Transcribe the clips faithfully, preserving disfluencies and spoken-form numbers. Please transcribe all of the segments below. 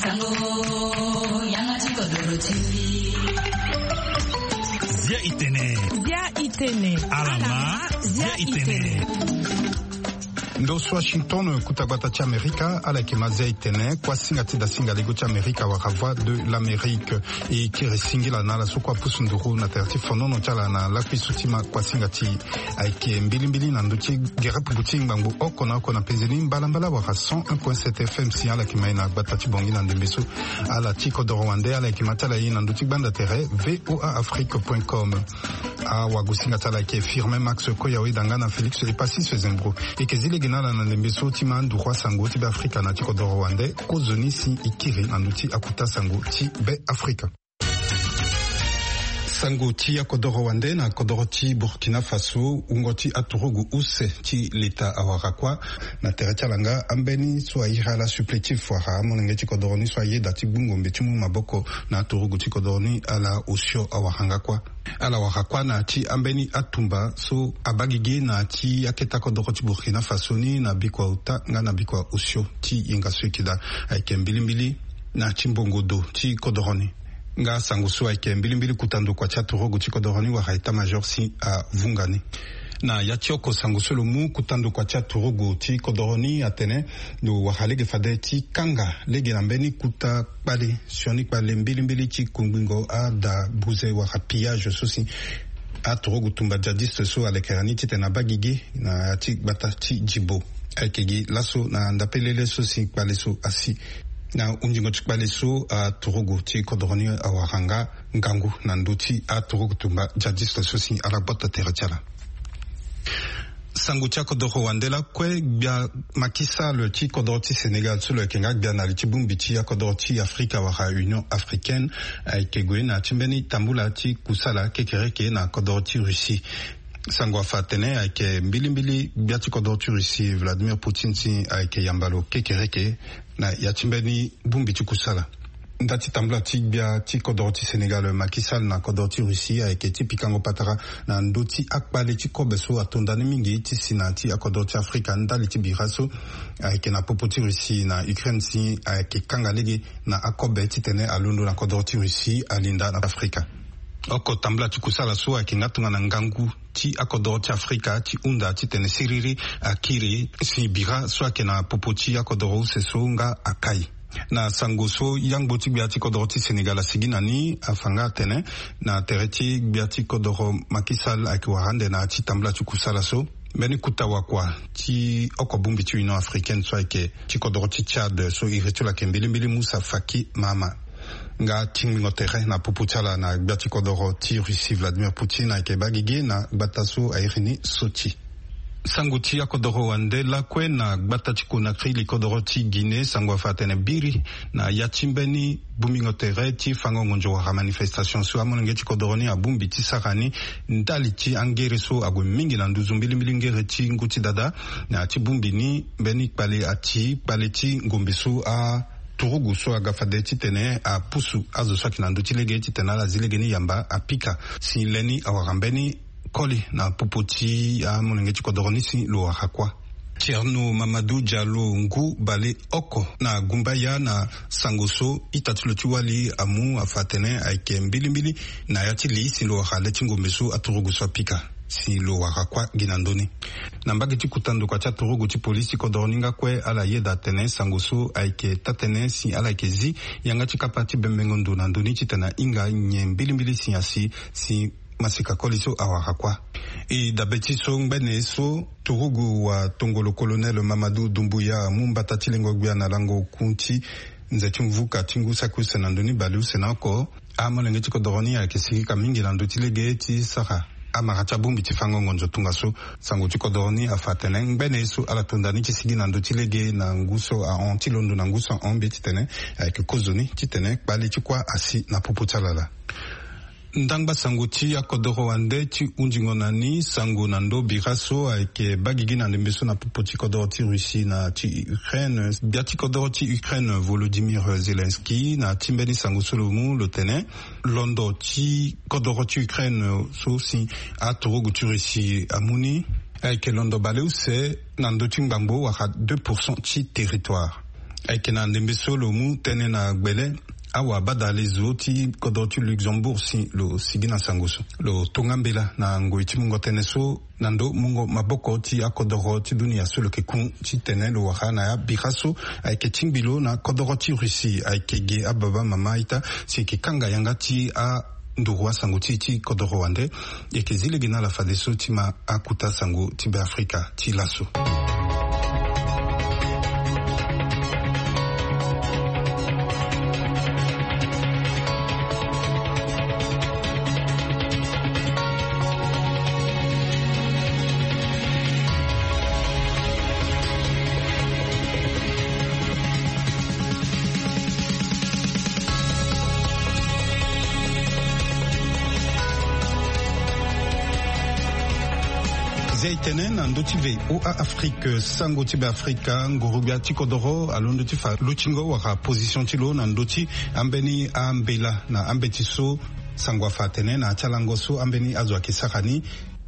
Sango, yanga ti kodoro ti. Zia itene. Zia itene. Alama, zia itene. Ndo so Washington, kuta gbata ti Amerika, ala yeke ma zia itene, kuasinga ti dasinga lego ti Amerika wala Voix de l'Amérique. E kiri singila na ala so kue apusu nduru na tere ti fonono ti ala na lakui so ti ma kuasinga ti e. Ayeke mbilimbili na ndö ti gere pupu ti ngbangbo oko na oko na penzeni mbalambala wala cent un point sept F M si ala yeke ma e na gbata ti Bangui na ndembe so. Ala ti kodoro wande ala yeke ma ti ala e na ndö ti gbanda tere V O A Afrique point com. Awagosinga ti ala ayeke Firmin Max Koyawe Danga na Félix Epassis Zembro. E yeke zi lege na ala na ndembe so ti ma nduru asango ti Be Afrika na ti kodoro wande kozoni si e kiri na ndö ti akuta sango ti Be Afrika. Sango ti akodoro wande na kodoro ti Burkina Faso, wungo ti aturugu use ti leta awara kuâ. Na tere ti ala nga ambeni so airi ala supplétif wala amolenge ti kodoro ni so ayeda ti gbu ngombe ti mu maboko na aturugu ti kodoro ni, ala osio awara nga kuâ. Ala wara kuâ na ya ti ambeni atumba so abaa gigi na ya ti akete akodoro ti Burkina Faso ni na bikua ota nga na bikua osio ti yenga so e yeke daa. Ayeke mbilimbili na ya ti mbongo do ti kodoro ni. Nga sango so ayeke mbilimbili kuta ndokua ti aturugu ti kodoro ni wala état-major si avunga ni. Na ya ti oko sango so lo mu, kuta ndokua ti aturugu ti kodoro ni atene lo wara lege fade ti kanga lege na mbeni kuta kpale, sioni kpale mbilimbili ti kungbingo ada buze wala pillage so si aturugu tumba djihadiste so alekere ni titene abaa gigi na ya ti gbata ti Djibo. Ayeke gi laso na ndapelele so si kpale so asi. Na hunzingo ti kpale so aturugu ti kodoro ni awara nga ngangu na ndö ti aturugu tumba djihadiste so si ala gbata tere ti ala. Sango ti akodoro wande lakue, gbia Macky Sall ti kodoro ti Sénégal so lo yeke nga gbia na li ti bongbi ti akodoro ti Afrika wala Union Africaine, ayeke gue na ya ti mbeni tambula ti kusala kekereke na kodoro ti Russie. Sango afa atene ayeke mbilimbili gbia ti kodoro ti Russie Vladimir Poutine si ayeke yamba lo kekereke na ya ti mbeni bongbi ti kusala. Nda ti tambula ti gbia ti kodoro ti Sénégal Macky Sall na kodoro ti Russie ayeke ti pikango patara na ndö ti akpale ti kobe so ato nda ni mingi ti si na ya ti akodoro ti Afrika ndali ti bira so ayeke na popo ti Russie na Ukraine si ayeke kanga lege na akobe titene alondo na kodoro ti Russie alinda na Afrika. Oko tambula ti kusala so ayeke nga tongana ngangu ti akodoro ti Afrika ti hunda titene siriri akiri si bira so ayeke na popo ti akodoro use so nga akai. Na sango so yangbo ti gbia ti kodoro ti Sénégal asigi na ni afa nga atene na tere ti gbia ti kodoro Macky Sall ayeke wara ande na ya ti tambula ti kusala so, mbeni kuta wakua ti oko bongbi ti Union Africaine so ayeke ti kodoro ti Tchad so iri ti lo ayeke mbilimbili Moussa Faki Mahamat. Nga tingbingo tere na popo ti ala na gbia ti kodoro ti Russie Vladimir Poutine ayeke baa gigi na gbata so airi ni Sochi. Sango ti akodoro wande lakue, na gbata ti Conakry li kodoro ti Guinée, sango afa atene biri na ya ti mbeni bongbingo tere ti fango ngonzo wala manifestation so amolenge ti kodoro ni abongbi ti sara ni ndali ti angere so ague mingi na nduzu mbilimbili ngere ti ngu ti dada. Na ya ti bongbi ni mbeni kpale ati kpale ti ngombe so a turugu so aga fade titene apusu azo so ayeke na ndö ti lege titene ala zi lege ni yamba apika si le ni awara mbeni koli na popo ti amolenge ti kodoro ni si lo wara kuâ. Thierno Mamadou Diallo ngu baleoko na gumbaya na sango so ita ti lo ti wali amu afa atene ayeke mbilimbili na ya ti li si lo wara le ti ngombe so aturugu so apika si lo wara kuâ gi na ndö ni. Na mbage ti kota ndokua ti aturugu ti polisi ti kodoro ni nga kue ala yeda atene sango so ayeke taa-tënë si ala yeke zi yanga ti kapa ti bembengo ndo na ndö ni titene ahinga nyen mbilimbili si asi si masika koli so awara kuâ. E dabe ti so ngbene so turugu watongolo colonel Mamadou Doumbouya amu mbata ti lengo gbia na lango ku ti nze ti mvuka ti ngu saki use na ndö ni baleuse na oko. Amolenge ti kodoro ni ayeke sirika mingi na ndö ti lege ti sara amara ti abongbi ti fango ngonzo tongaso. Sango ti kodoro ni afa atene ngbene so ala tonda ni ti sigi na ndö ti lege na ngu so ahon ti londo na ngu so ahon mbi titene ayeke kozoni titene kpale ti kuâ asi na popo ti ala laa. Ndangba sango ti akodoro wande ti hunzingo na ni sango na ndo bira so ayeke baa gigi na ndembe so na popo ti kodoro ti Russie na ti Ukraine. Gbia ti kodoro ti Ukraine Volodymyr Zelensky na ti mbeni sango so lo mu lo tene londo ti kodoro ti Ukraine so si aturugu ti Russie amu ni ayeke londo baleuse na ndö ti ngbangbo wala deux pour cent ti territoire. Ayeke na ndembe so lo mu tënë na gbele, awabadalezo ti kodro ti Luxembourg si lo sigi na sango so. Lo tonga mbela na ngoi ti mungo tënë so na ndo mungo maboko ti akodoro ti dunia so lo yeke ku titene lo wara na ya bira so ayeke tingbi lo na kodoro ti Russie. Ayeke ge ababa mama ita si e yeke kanga yanga ti a nduru asango ti e ti kodoro wande. E yeke zi lege na ala fadeso ti ma akuta sango ti Beafrika ti laso. Zia e tene na ndö ti V O A Afrique, sango ti Beafrika, nguru-gbia ti kodoro alondo ti fa lutingo wala position ti lo na ndö ti ambeni ambela na ambeti so sango afa atene na ya ti alango so ambeni azo ayeke sara ni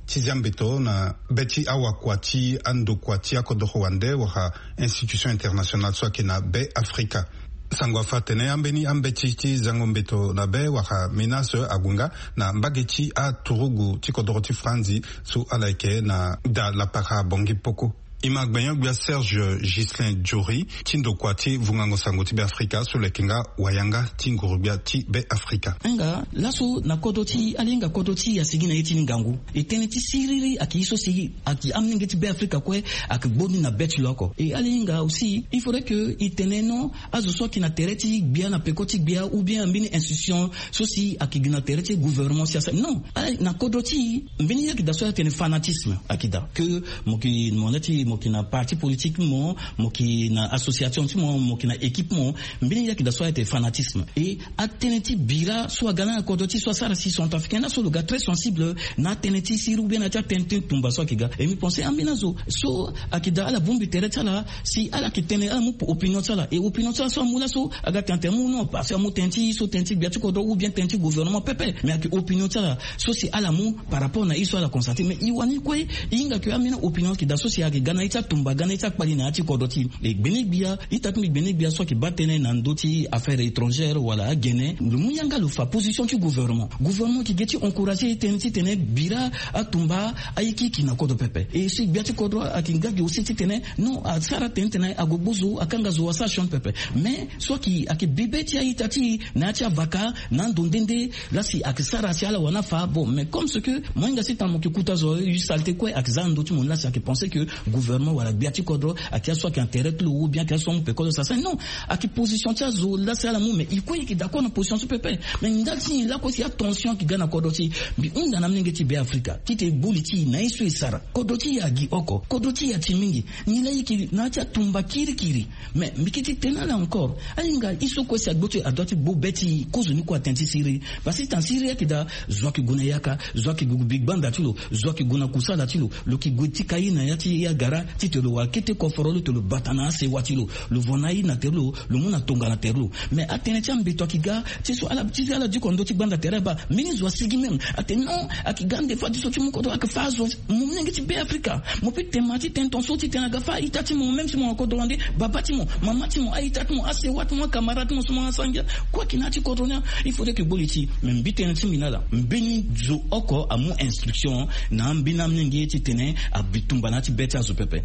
ti zia mbeto na be ti awakua ti andokua ti akodoro wande wala institution internationale so ayeke na Beafrika. Sango afa atene ambeni ambeti ti zango mbeto na be wala MENAS ague nga na mbage ti aturugu ti kodoro ti Franzi so ala yeke na da lapara Bangui Poko. E ma gbenyo-gbia Serge Ghislain Jory ti ndokua ti vungango sango ti Beafrika so lo yeke nga wayanga ti nguru-gbia ti Beafrika. Nga laso na kodro ti ala hinga kodro ti e asigi na ye ti ni ngangu. E tënë ti siriri ayeke ye so si ayeke amolenge ti Beafrika kue ayeke gbo ni na be ti lo oko. E ala hinga aussi, il faudrait que e tene non, azo so ayeke na tere ti gbia na peko ti gbia ou bien ambeni institution so si ayeke gi na tere ti gouvernement si asara non. Ala na kodro ti e mbeni ye ayeke daa so atene fanatisme ayeke daa. Que mo yeke mo na ti mo yeke na parti politique ti mo, mo yeke na association ti mo, mo yeke na équipe mo, mbeni ye ayeke daa so atene fanatisme. Et atënë ti bira so aga na kodro ti e so asara si centrafricain laso lo ga très sensible na atënë ti siriri ou bien na ya ti atënë ti tumba so ayeke ga. Et mbi pense ambeni azo so ayeke daa ala bongbi tere ti ala si ala yeke tene ala mu opinion ti ala. Et opinion ti ala so amu laso aga tene atene amu non parce que amu tënë ti so tënë ti gbia ti kodro ou bien tënë ti gouvernement pepe. Mais ayeke opinion ti ala so si ala mu par rapport na ye so ala constate. Mais e wani kue e hinga ke ambeni opinion ayeke daa so si ayeke ga na ye ti atumba, ga na ye ti akpali na ya ti kodro ti e. E gbene-gbia ita ti mbi gbene-gbia so ayeke baa tënë na ndö ti affaires étrangères wala agene, lo mu yanga lo fa position ti gouvernement. Gouvernement ayeke ge ti encourager tënë titene bira atumba ayikiyiki na kodro pepe. E si gbia ti kodro ayeke nga gi aussi titene non, asara tënë titene ague gbu zo, akanga zo, asara sioni pepe. Mais so ayeke, ayeke bibe ti a-ita ti e na ya ti avaka na ando nde nde. Lasi ayeke sara si ala wani afa. Bon, mais comme ce que mo hinga si tana mo yeke kuta zo, yu saleté kue ayeke za na ndö ti mo ni, lasi ayeke pense que gouvernement wala gbia ti kodro ayeke aso ayeke na tere ti lo ou bien ayeke aso amu peko ti lo sara si non. Ayeke position ti azo lasi ala mu, mais e kue e yeke d'accord na position so pepe. Mais ndali ti nyen lakue si atension ayeke ga na kodro ti e? Mbi hunda na amolenge ti Beafrika titene e gbu li ti e na ye so e sara. Kodro ti e agi oko, kodro ti e ati mingi. Nilaa e yeke na ya ti atumba kirikiri. Mais mbi kiti tene ala encore, ahinga ye so kue si agbo ti e adoit ti gbu be ti e, kozoni kue atene ti siriri. Parce que titene siriri ayeke daa, zo ayeke gue na yaka, zo ayeke gue bi gbanda ti lo, zo ayeke gue na kusala ti lo, lo yeke gue tika ye na ya ti ye agara titene lo wara kete koforo lo, titene lo bata na asewa ti lo, lo vo na aye na tere lo, lo mu na tongana tere lo. Mais atënë ti ambeto ayeke ga ti so ala, ti ala diko na ndö ti gbanda tere abaa. Mbeni zo asigi même atene non, ayeke ga ande fadeso ti mu kodro, ayeke fa azo. Mo molenge ti Beafrika, mo peut tene ma ti tene tongaso titene aga fa a-ita ti mo, même si mo na kodro wande, baba ti mo, mama ti mo, a-ita ti mo, asewa ti mo, acamarade ti mo so mo asangia kue ayeke na ya ti kodro ni. Il faudrait que e gbu li ti e. Mais mbi tënë ti mbi na ala, mbeni zo oko amu instruction na ambeni amolenge titene abi tumba na ya ti be ti azo pepe.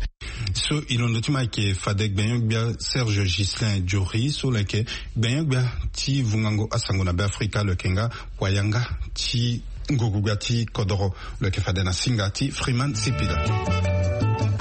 So e londo ti mo ayeke fade gbenyo-gbia Serge Ghislain Jory so lo yeke gbenyo-gbia ti vungango asango na Beafrika, lo yeke nga wayanga ti nguru-gbia ti kodoro, lo yeke fade na singa ti Freeman Sipila.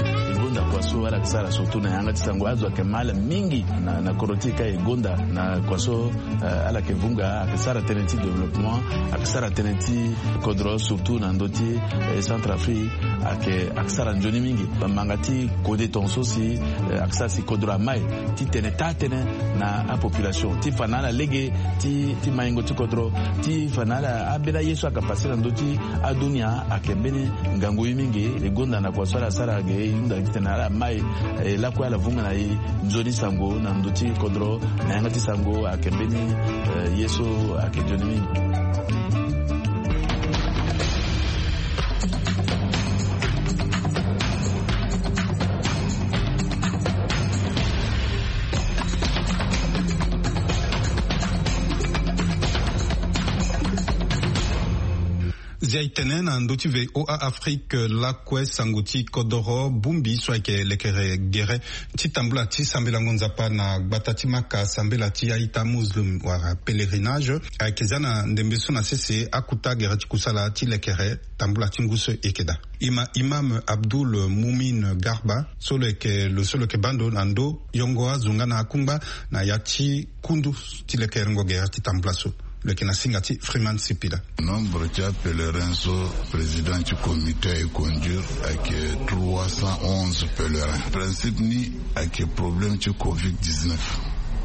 E gonda kua so ala yeke sara surtout na yanga ti sango, azo ayeke ma ala mingi na, na kodro ti e ka e gonda na kua so, eh, ala yeke vunga, ayeke sara tënë ti développement, ayeke sara tënë ti kodro surtout na ndö ti, eh, Centrafrique, ayeke, ayeke sara nzoni mingi. Bamanga ti kode tongaso si, eh, ayeke sara si kodro amai ti tene taa tënë na apopulation, ti fa na ala lege ti, ti maingo ti kodro, ti fa na ala ambeni aye so ayeke pase na ndö ti adunia, ayeke mbeni ngangu ye mingi. E gonda na kua so ala sara ge, e hunda titene ala mai, eh, lakue ala vunga na e nzoni sango na ndö ti kodro, na yanga ti sango ayeke mbeni, eh, ye so ayeke nzoni mingi. Dia itene na ndö ti VOA Afrique lakue sango ti kodoro bongbi so ayeke lekere gere ti tambula ti sambelango nzapa na gbata ti maka sambela ti aita muslim wala pèlerinage ayeke za na ndembe so na sese akuta gere ti kusala ti lekere tambula ti ngu so eke daa. Ima imam Abdul Mumin Garba so lo yeke lo so lo yeke bando na ndö yongo azo nga na akungba na ya ti kundu ti lekerengo gere ti tambula so lo yeke na singa ti Freeman Sipila. Nombre ti apèlerin so président ti comité aye conduire ayeke trois cent onze pèlerin. Principe ni ayeke problème ti covid dix-neuf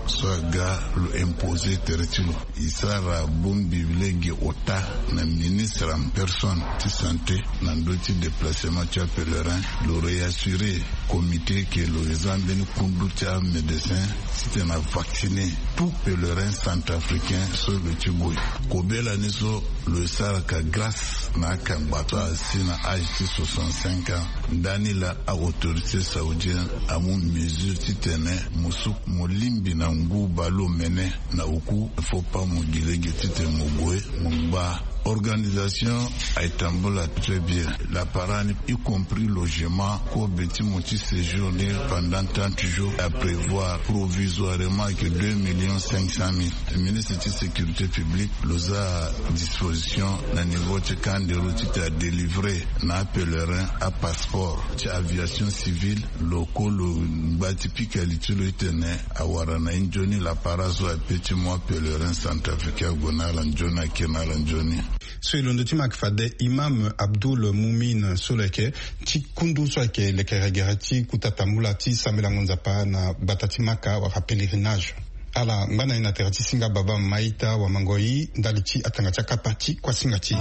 so aga lo imposer tere ti lo. E sara bongbi lege ota na ministre en personne ti santé na ndö ti déplacement ti apèlerin. Lo réassurer comité ke lo za mbeni kundu ti amédecin titene avacciner tout pèlerin centrafricain so lo ti gue. Kobela ni so lo sara ka grâce na akangba so asi na âge ti soixante-cinq ans. Ndani laa aautorité saoudienne amu mesure titene mo su mo lingbi na ngu baleon mene na oku. Faut pas mo gi lege titene mo gue mo ngba. Organisation aye tambula très bien. Lapara ni y compris logement, kobe ti mo ti séjour ni pendant trente jours. A prévoir provisoirement ayeke deux millions cinq cent mille. Ministre ti sécurité publique lo za disposition na niveau ti kandero titene adélivrer na apèlerin apasseport ti aviation civile. Lo ko lo ngba ti pika li ti lo titene awara na ye nzoni lapara so ape ti mu apèlerin centrafricain ague na ala nzoni, akiri na ala nzoni. So e londo ti ma ayeke fade imam Abdul Mumin so lo yeke ti kundu so ayeke lekere gere ti kuta tambula ti sambelango nzapa na gbata ti maka wala pèlerinage. Ala ngba na e na tere ti singa baba maita wamango i ndali ti atanga ti akapa ti kuasinga ti e.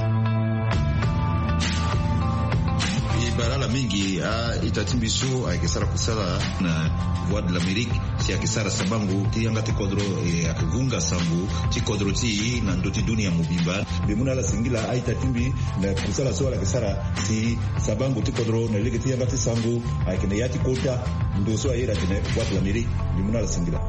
E bara ala mingi a-ita ti mbi so ayeke sara kusala na Voix de l'Amérique, si ayeke sara sabango ti yanga ti kodro, e ayeke vunga sango ti kodro ti e na ndö ti dunia mobimba. Mbi mu na ala singila a-ita ti mbi na kusala so ala yeke sara si sabango ti kodro na lege ti yanga ti sango ayeke na ya ti kota ndo so aye atene Voix de l'Amérique. Mbi mu na ala singila.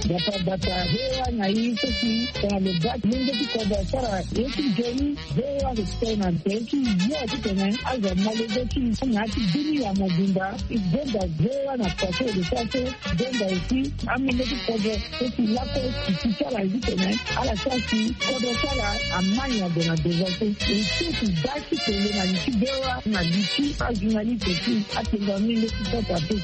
Bata bata hewa na ye so si tongana lo baa ti lenge ti kodro asara ye ti nzoni. Hewa ayeke tene na ntere ti yo titene azo amolenge ti na ya ti dunia mobimba. E gonda hewa na kua so e lo sara so. Gonda aussi amolenge ti kodro so si lakue si ti ti ala ye titene ala sara si kodro ti ala amai na gue na devant so. E so si baa ti tene na li ti hewa na li ti ajournaliste aussi atene na menge ti kota te.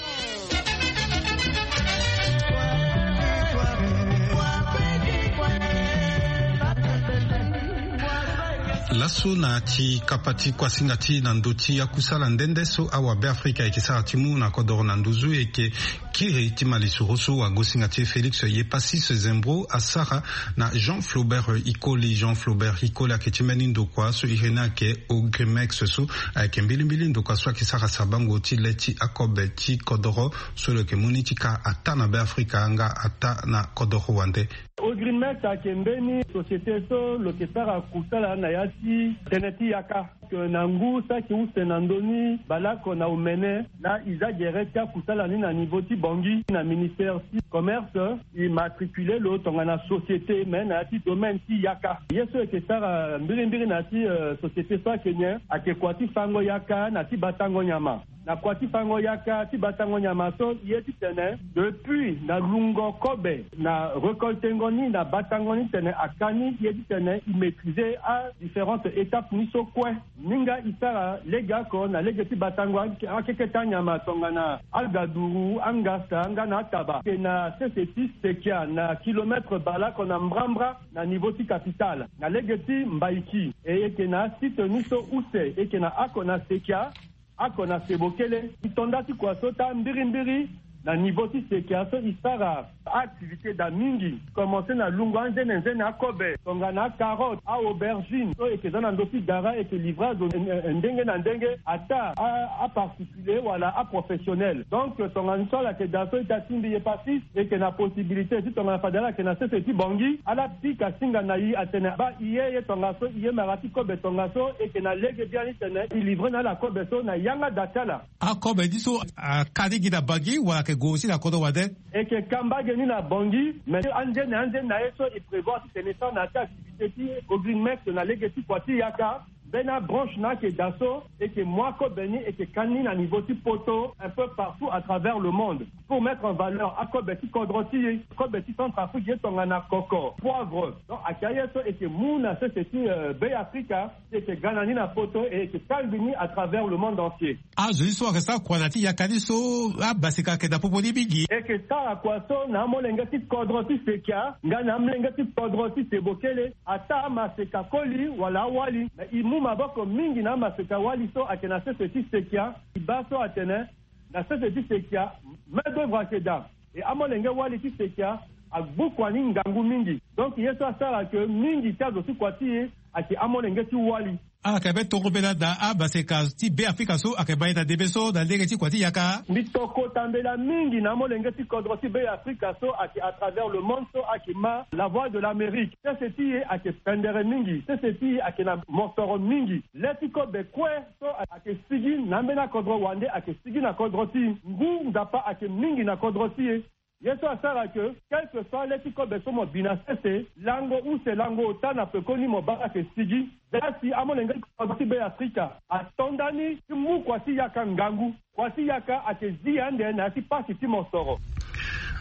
Laso na ti kapa ti kuasinga ti na ndö ti akusala nde nde so awabe afrika ayeke sara ti mu na kodoro na nduzu eke kiri ti malisoro so wagosinga ti e Félix Yepasis Zembro asara na Jean Flaubert Ikoli. Jean Flaubert Ikoli ayeke ti mbeni ndokua so iri ni ayeke Ogrimex so ayeke mbilimbili ndokua so ayeke sara sabango ti le ti akobe ti kodoro so lo yeke mu ni ti ka ataa na Beafrika nga ataa na kodoro wande. Ogrimex ayeke mbeni société so lo yeke sara kusala na ya ti tënë ti yaka. Ke na ngu saki use na ndö ni baleoko na omene laa e za gere ti akusala ni na niveau ti Bangui na ministère ti commerce. E matricule lo tongana société me na ya ti domaine ti yaka. Ye so e yeke sara mbirimbiri na ya ti société so ayeke nyen? Ayeke kua ti fango yaka na ti batango nyama. Na kua ti fango yaka ti batango nyama so e ye titene depuis na lungo kobe na récoltengo ni na batango ni tene aka ni e ye titene e maîtriser adifférentes étapes ni so kue. Ni nga e sara lege oko na lege ti batango akeke ti anyama tongana agaduru, angasa nga na ataba. E yeke na sese ti sekia na kilomètre baleoko na mbrambra na niveau ti capitale na lege ti mbaiki. E yeke na asite ni so use e yeke na oko na sekia, oko na sebokele. E to nda ti kua so taa mbirimbiri na niveau ti sekia so e sara Activité daa mingi, commence na lungo anzene nzene akobe, tongana acarotte, aaubergine so eke za na ndö ti dara, eke livrer azo ndenge na ndenge, ata aparticulier wala aprofessionnel. Donc tongana so ala yeke daa so ita tingbi ye pasis, eke na possibilité ti tongana fade ala yeke na sese ti bongi, ala pika singa na i atene baa i ye, ye tongaso i ye mara ti kobe tongaso, eke na lege biani tene i livrer na ala kobe so na yanga daa ti ala. Akobe ni so aka ni gi na bangi wala ayeke gue aussi na kodro wande? Eke ka mbage ni na bangi, mais anzene anzene na ye so e prévoir titene e sara na ya ti activité ti Ogrimex na lege ti kua ti yaka, mbeni abranche na ayeke daa so eke mu akobe ni, eke ka ni na niveau ti poto, un peu partout à travers le monde, pour mettre en valeur akobe ti kodro ti e, kobe ti Centrafrique, ye tongana koko, poivre. Donc ayeke aye so eke mu na sese ti Beafrika, eke ga na ni na poto, e eke kangbi ni à travers le monde entier. Azo ni so ayeke sara kua na ya ti yaka ni so, amaseka ayeke na popo ni mingi. Eke sara kua so na amolenge ti kodro ti Sekia nga na amolenge ti kodro ti Sebokele, ata amaseka koli wala awali. Me e mu maboko mingi na amaseka wali so ayeke na sese ti Sekia. E baa so atene na sese ti Sekia, main d'œuvre ayeke daa. E amolenge wali ti Sekia agbu kua ni ngangu mingi. Donc ye so asara ke mingi ti azo ti kua ti e ayeke amolenge ti wali. Ala yeke be tongo mbela daa amaseka ti Beafrika so ayeke ma e na ndembe so na lege ti kua ti yaka. Mbi tokota mbela mingi na amolenge ti kodro ti Beafrika so ayeke à travers le monde so ayeke ma La Voix de l'Amérique. Sese ti e ayeke pendere mingi, sese ti e ayeke na mosoro mingi. Le ti kobe kue so ayeke sigi na ambeni akodro wande ayeke sigi na kodro ti e. Ngu Nzapa ayeke mingi na kodro ti e. Ye so asara ke, quel que soit le ti kobe so mo bi na sese, lango use lango ota na pekoni mo baa ayeke sigi. Zia si amolenge ti kodro ti Beafrika ato nda ni ti mu kua ti yaka ngangu. Kua ti yaka ayeke zi ande na ya ti pasi ti mosoro.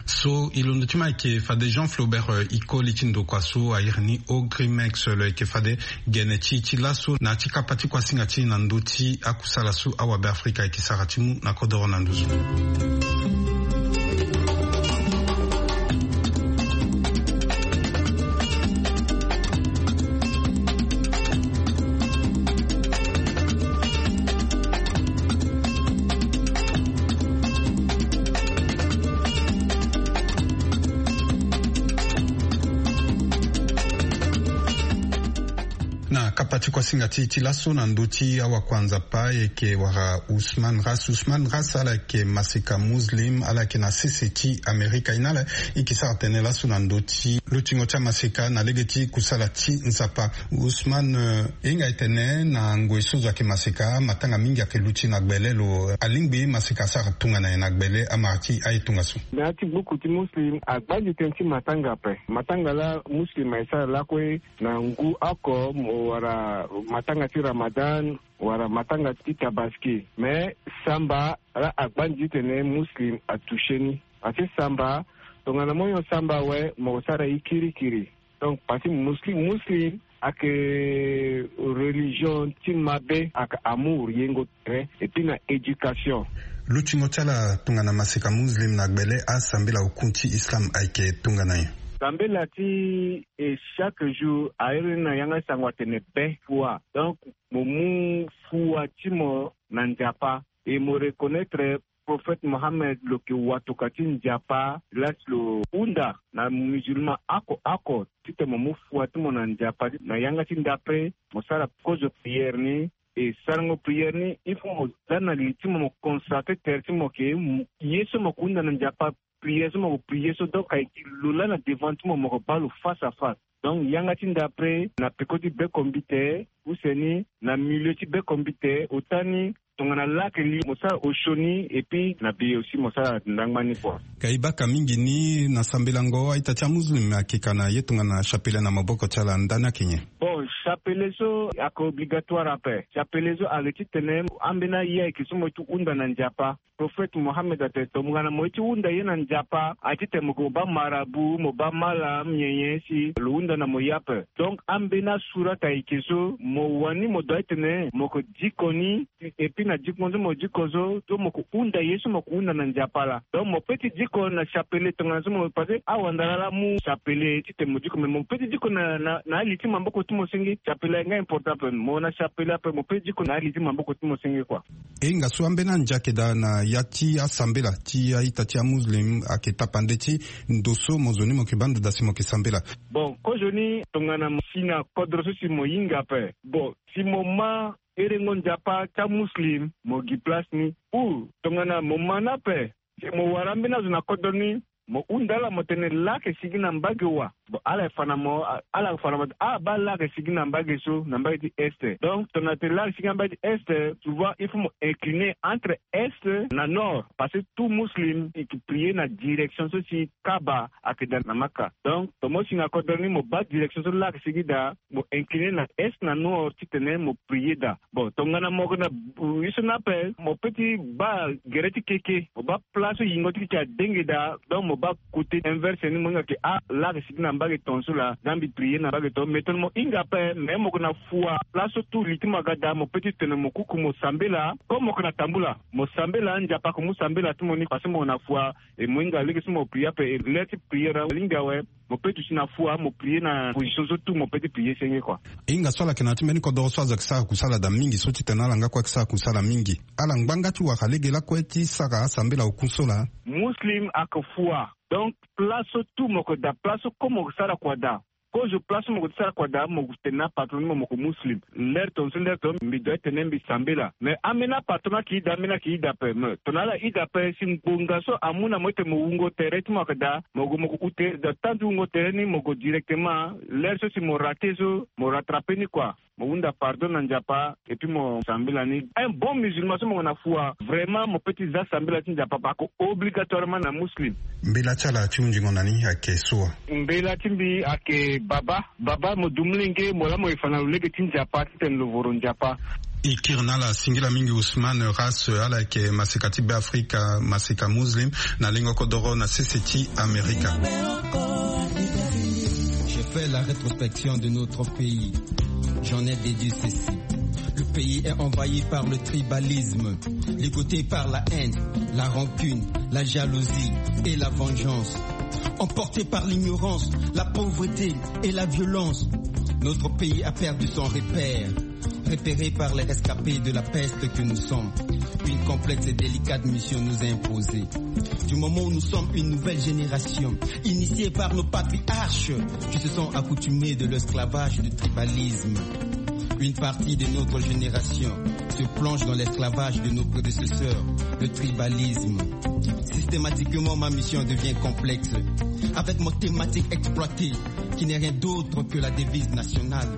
So e londo ti ma ayeke fade Jean Flaubert, eh, Ikoli ti ndokua so a iri ni Ogrimex, lo yeke fade gene ti e ti laso na ya ti kapa ti kuasinga ti e na ndö ti akusala so awabeafrika ayeke sara ti mu na kodoro na nduzu. Na kapa ti kuasinga ti e ti laso na ndö ti awakua Nzapa, e yeke wara Ousmane Ras. Ousmane Ras ala yeke maseka muslim, ala yeke na sese ti Amerika. E na ala e yeke sara tënë laso na ndö ti lutingo ti amaseka na lege ti kusala ti Nzapa. Ousmane, eh, e hinga e tene na ngoi so zo ayeke maseka, matanga mingi ayeke luti na gbele lo. Alingbi maseka asara tongana nyen na gbele amara ti aye tongaso? Na ya ti gbuku ti muslim, agbandi tënë ti matanga ape. Matanga laa muslim aye sara lakue na ngu oko, mo wara matanga ti Ramadan, wala matanga ti Tabaski. Mais samba laa agbandi titene muslim atoucher ni. Parce que samba, tongana mo hon samba awe, mo sara ye kirikiri. Donc parce que muslim, muslim ayeke religion ti mabe, ayeke amour, yengo tere, et puis na éducation. Lutingo ti ala tongana maseka muslim na gbele, asambela oku ti Islam ayeke tongana nyen? Sambela ti e chaque jour a iri ni na yanga sango atene be fua. Donc mo mu fua ti mo na Nzapa, e mo reconnaître Prophète Mohammed lo yeke watoka ti Nzapa, la si lo hunda na musulman oko oko titene mo mu fua ti mo na Nzapa. Na yanga ti ndapre mo sara kozo prière ni, e sarango prière ni, il faut mo za na li ti mo, mo consacrer tere ti mo ke, ye so mo yeke hunda na Nzapa, prière so mo yeke prier so, donc ayeke lo laa na devant ti mo, mo yeke baa lo face à face. Donc yanga ti ndapre na peko ti bekombite, use ni na milieu ti bekombite, ota ni tongana laa ayeke li mo sara osio ni, et puis na be aussi mo sara ndangba ni kua. Ka e baka mingi ni na sambelango a-ita ti amuslim ayeke ka na ye tongana chapelet na maboko ti ala, ndani ayeke nyen? Bon, chapelet so ayeke obligatoire ape. Chapelet so ayeke titene ambeni aye ayeke so mo ye ti hunda na Nzapa. Prophète Mohammed atene tongana mo ye ti hunda ye na Nzapa, aye titene mo yeke mo baa marabout, mo baa malam, nyen nyen si lo hunda na mo ye ape. Donc ambeni asurat ayeke so mo wani mo doit titene mo yeke diko ni, et puis na diko so mo diko so, so mo yeke hunda ye so mo yeke hunda na Nzapa laa. Donc mo peut ti diko na chapelet tongana so mo, parce que awandara laa amu chapelet titene mo diko, mais mo peut ti diko na, na, na ali ti maboko ti mo senge, Chapela e nga important ape, mo na chapela ape mo pe diko na ali ti maboko ti mo senge kua. E hinga so ambeni andia ayeke daa na ya ti asambela ti a-ita ti amuslim ayeke tapande ti ndo so mo zo ni mo yeke baa ndada si mo yeke sambela. Bon, kozoni tongana mo si na kodro so si mo hinga ape, bon, si mo ma erengo nzapa ti amuslim mo gi place ni. Ou tongana mo ma ni ape, si mo wara ambeni azo na kodro ni, mo hunda ala mo tene laa ayeke sigi na mbage wa. Bon, ala fa na mo, ala fa na mo, ah, baa laa ayeke sigi na mbage so, na mbage ti est. Donc tongana tene laa ayeke sigi na mbage ti est, souvent il faut mo incliner entre est na nord, parce que tout muslim e ke prier na direction so si Kaaba ayeke daa na Maka. Donc tongana mo si na kodro ni mo baa direction so laa ayeke sigi daa, mo incliner na est na nord titene mo prier daa. Bon, tongana mo yeke na, uh, ye so ni ape, mo pe ti baa gere ti keke, mo baa place so yingo ti keke adenge daa. Donc mo baa côté inverse ni, mo hinga ke, ah, laa ayeke sigi na mbage tongaso laa, da mbi prier na mbage tongaso. Mais tongana mo hinga ape, mais mo yeke na fua, place so tout li ti mo aga daa, mo pe ti tene mo kuku mo sambela. Comme mo yeke na tambula, mo sambela, nzapa ayeke mu sambela ti mo ni, parce que mo yeke na fua. E mo hinga lege so mo prier ape, e ler ti prier alingbi awe. Mo pe duti na fua, mo prier na position so tout mo pe ti prier senge kua. E hinga so ala yeke na ya ti mbeni kodoro so azo ayeke sara kusala daa mingi, so titene ala nga kue ayeke sara kusala mingi. Ala ngba nga ti wara lege lakue ti sara asambela oku so laa. Muslim ayeke fua. Donc place so tout mo yeke daa, place so comme mo yeke sara kua daa. Kozo place so mo yeke sara kua daa, mo tene na patron ni mo, mo yeke muslim. Ler tongaso, ler tongaso mbi doit tene mbi sambela. Mais ambeni apatron ayeke ida, ambeni ayeke ida ape. Mais tongana ala ida ape, si ngbonga so amu na mo ti tene mo wungo tere ti mo ayeke daa, mo gue mo gue ute daa, temps ti wungo tere ni mo gue directement. Ler so si mo rater so, mo rattraper ni kua. Mo hunda pardon na nzapa, et puis mo sambela ni. Un bon musulman so mo yeke na fua, vraiment mo pe ti za sambela ti nzapa, parce que obligatoirement na muslim. Mbela ti ala ti hunzingo na ni ayeke so wa? Mbela ti mbi ayeke Baba. Baba, mo du molenge, mo laa mo ye fa na lo lege ti nzapa titene lo voro nzapa. E kiri na ala singila mingi Ousmane Ras, ala yeke maseka ti Beafrika, maseka muslim, na lengo kodoro na sese ti Amerika. J'ai fait la rétrospection de notre pays. J'en ai déduit ceci. Le pays est envahi par le tribalisme, ligoté par la haine, la rancune, la jalousie et la vengeance. Emporté par l'ignorance, la pauvreté et la violence, notre pays a perdu son repère, repéré par les rescapés de la peste que nous sommes. Une complexe et délicate mission nous est imposée. Du moment où nous sommes une nouvelle génération, initiée par nos patriarches, qui se sont accoutumés de l'esclavage du tribalisme. Une partie de notre génération se plonge dans l'esclavage de nos prédécesseurs, le tribalisme. Systématiquement, ma mission devient complexe, avec mon thématique exploitée, qui n'est rien d'autre que la devise nationale.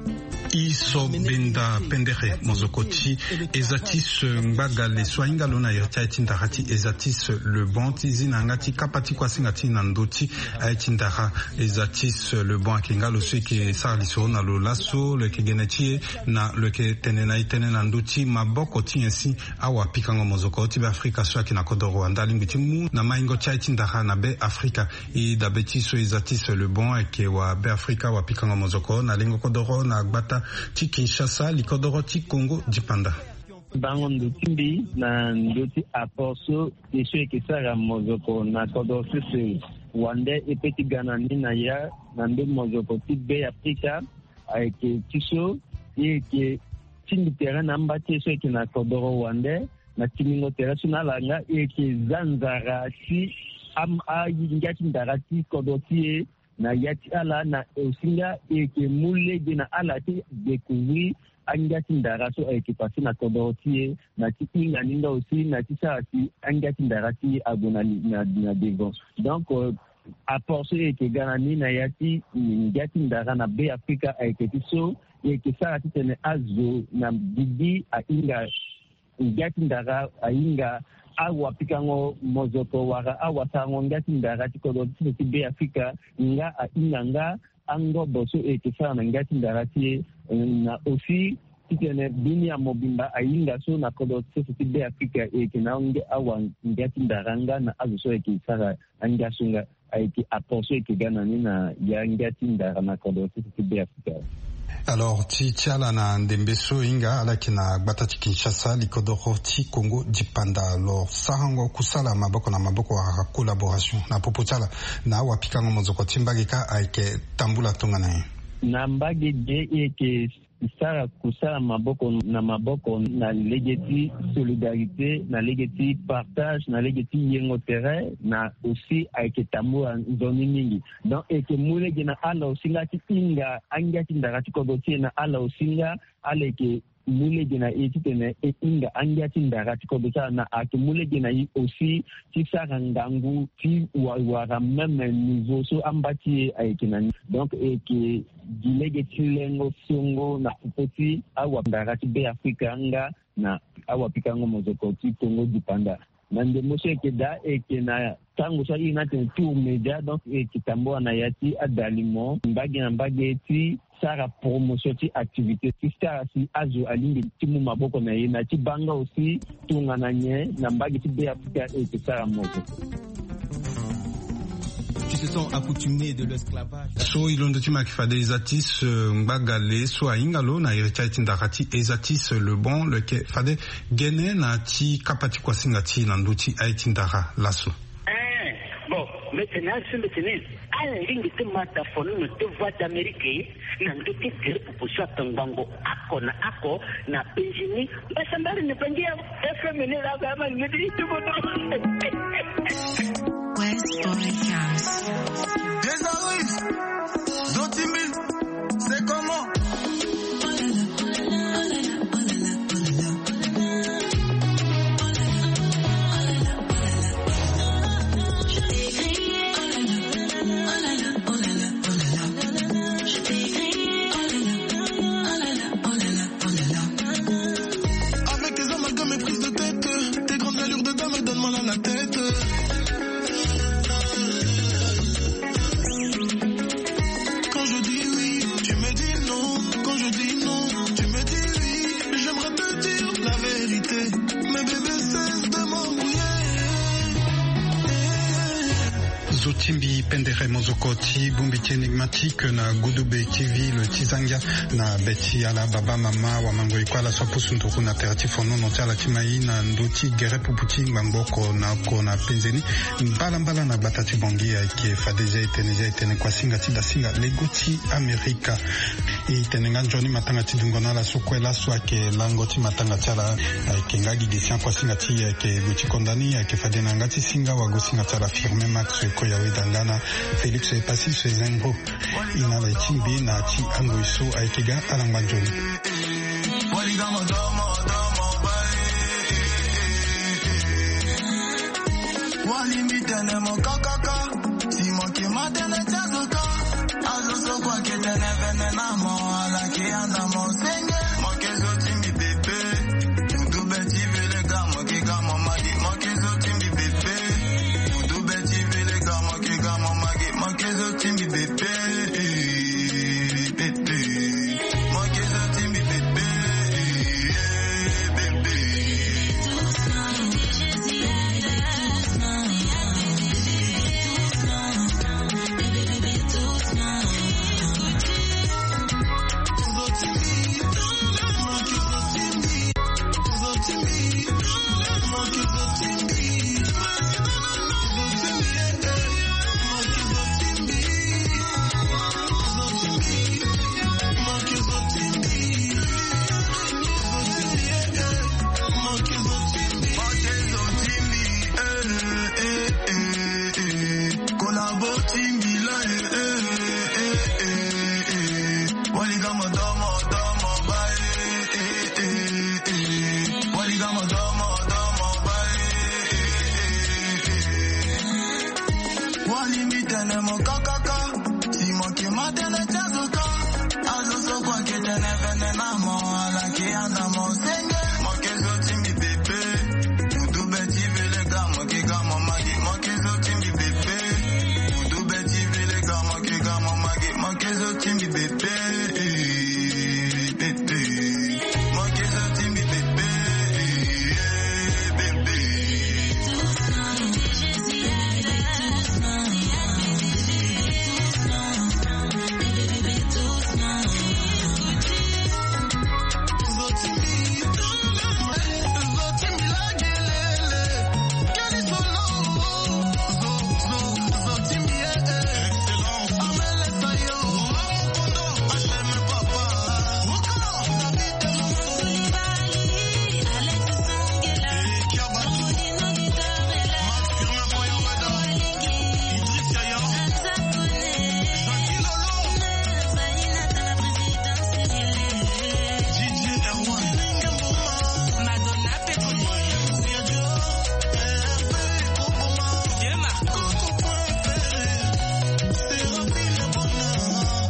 E so benda pendere mozoko ti Ezatis Ngbagale so ahinga lo na iri ti aye ti ndara ti Ezatis Le Bon, ti zi na yanga ti kapa ti kue asinga ti na ndö ti aye ti ndara. Ezatis Le Bon ayeke nga lo so e yeke sara lisoro na lo laso, lo yeke gene ti e na lo yeke tene na e tënë na ndö ti maboko ti nyen si awapikango mozoko ti Beafrika so ayeke na kodoro Rwanda alingbi ti mu na maingo ti aye ti ndara na Beafrika. E dabe ti so Ezatis Le Bon ayeke wa Beafrika, awapikango mozoko na lengo kodoro na gbata ti Kinshasa, likodoro ti Kongo dipanda. Bango ndo ti mbi na ndö ti apport so e so e yeke sara mozoko na kodoro sese wande e pe ti ga na ni na ya na ndö mozoko ti Beafrika. Ayeke ti so e yeke tingbi tere na amba ti e so e yeke na kodoro wande na tingbingo tere so na ala nga e yeke za nzara ti am- angia ti ndara ti kodro ti e na ya ti ala na osinga e yeke mu lege na ala ti découvrir angia ti ndara so ayeke passé na kodro ti e na ti hinga ni nga aussi na ti sara si angia ti ndara ti e ague na, na, na devant. Donc euh, apport so e yeke ga na ni na ya ti ngia ti ndara na Beafrika ayeke ti so e yeke sara titene azo na gigi ahinga ngia ti ndara, ahinga awapikango mozoko wala awasarango ngia ti ndara ti kodro ti so ti Beafrika, nga ahinga nga angobo so e yeke sara na ngia ti ndara ti e na aussi titene dunia mobimba ahinga so na kodro ti so ti Beafrika e yeke na ange awa ngia ti ndara nga na azo so e yeke sara angia so nga. Ayeke apport so e yeke ga na ni na ya ngia ti ndara na kodro ti so ti Beafrika. Alors ti ti ala na ndembe so e hinga ala yeke na gbata ti Kinshasa, likodoro ti Kongo dipanda. Alors sarango kusala maboko na maboko wala collaboration na popo ti ala na awapikango mozoko ti mbage kâ ayeke tambula tongana nyen? Na mbage ge e yeke sara kosara maboko na maboko na lege ti solidarité, na lege ti partage, na lege ti yengo tere, na aussi ayeke tambula nzoni mingi. Donc e yeke mu lege na ala aussi nga ti hinga angia ti ndara ti kodro ti e, na ala aussi nga ala yeke mu lege na e titene e hinga angia ti ndara ti kodro ti ala, na ayeke mu lege na e aussi ti sara ngangu ti wa- wara même niveau so amba ti e ayeke na ni. Donc e yeke gi lege ti lengo songo na popo ti awandara ti Beafrika nga na awapikango mozoko ti Kongo dipanda. Na ndembo so e yeke daa, e yeke na tango so airi ni atene tour média, donc e yeke tambula na ya ti adalimo mbage na mbage ti sara promotion ti activité ti sara si azo alingbi ti mu maboko na e na ti baa nga aussi tongana nyen na mbage ti Beafrika e yeke sara mozoko. Qui se sont accoutumés de l'esclavage. So e londo ti ma yeke fade e za ti se ngbagale so ahinga lo na iri ti aye ti ndara ti e za ti se le bon le ke fade gene na ti kapa ti kuasinga ti e na ndö ti aye ti ndara laso. Eh, bon, mbi tene azo so mbi tene ala lingbi ti ma da fonono ti Voix d'Amérique na ndö ti gere pupu so atongbango oko na oko na penzi ni. Mbasambari ni bangi ya F M ni la ga ma ngedi tubo no. West Boy Jams. Des arrives. Zotimbi, c'est comment? Avec tes amalgames et prises de tête, tes grandes allures de dame, donne-moi la, la tête. Quand je dis oui, tu me dis non. Quand je dis non, tu me dis oui. J'aimerais te dire la vérité. Mais bébé, cesse de m'embrouiller. Zotimbi pendere mozoko ti bongbi ti Enigmatique na Gudube T V, le ti zangia na be ti ala baba mama wamango e kue ala so apusu nduru na tere ti fonono ti ala ti mai na ndö ti gere pupu ti ngbangbo oko na oko na penze ni. Mbalambala na gbata ti Bangui ayeke fade zia e tene, zia e tene kuasinga ti dasinga lego ti Amerika. E tene nga nzoni matanga ti dungo na ala so kue laso ayeke lango ti matanga ti ala. Ayeke nga gi gi sian kuasinga ti e ayeke gue ti konda ni ayeke fade na yanga ti singa wagosinga ti ala Firmin Max Koyawe Dangana, Félix Epassis Zengo. E na ala e ti mbi na ti angoi so ayeke ga ala ngba nzoni. Wali mbi tene mo kakaka. Si mo ke ma tene ti azo ka. Azo so kue ake tene vene na mo, ala ke anda mo senge. Mo ke zo ti mbi pepe. Mo du be ti vele ga, mo ke ga mo magi. Mo ke zo ti mbi pepe. Mo du be ti vele ga, mo ke ga mo magi. Mo ke zo ti mbi pepe. Eh, pepe. Wali mbi tene mo kakaka. Si mo ke ma tene ti azo ka. Azo so kue ake tene vene na mo, ala ke anda mo senge. Mo ke zo ti mbi pepe. Mo du be ti vele ga, mo ke ga mo magi. Mo ke zo ti mbi pepe. Mo du be ti vele ga, mo ke ga mo magi. Mo ke zo ti mbi pepe.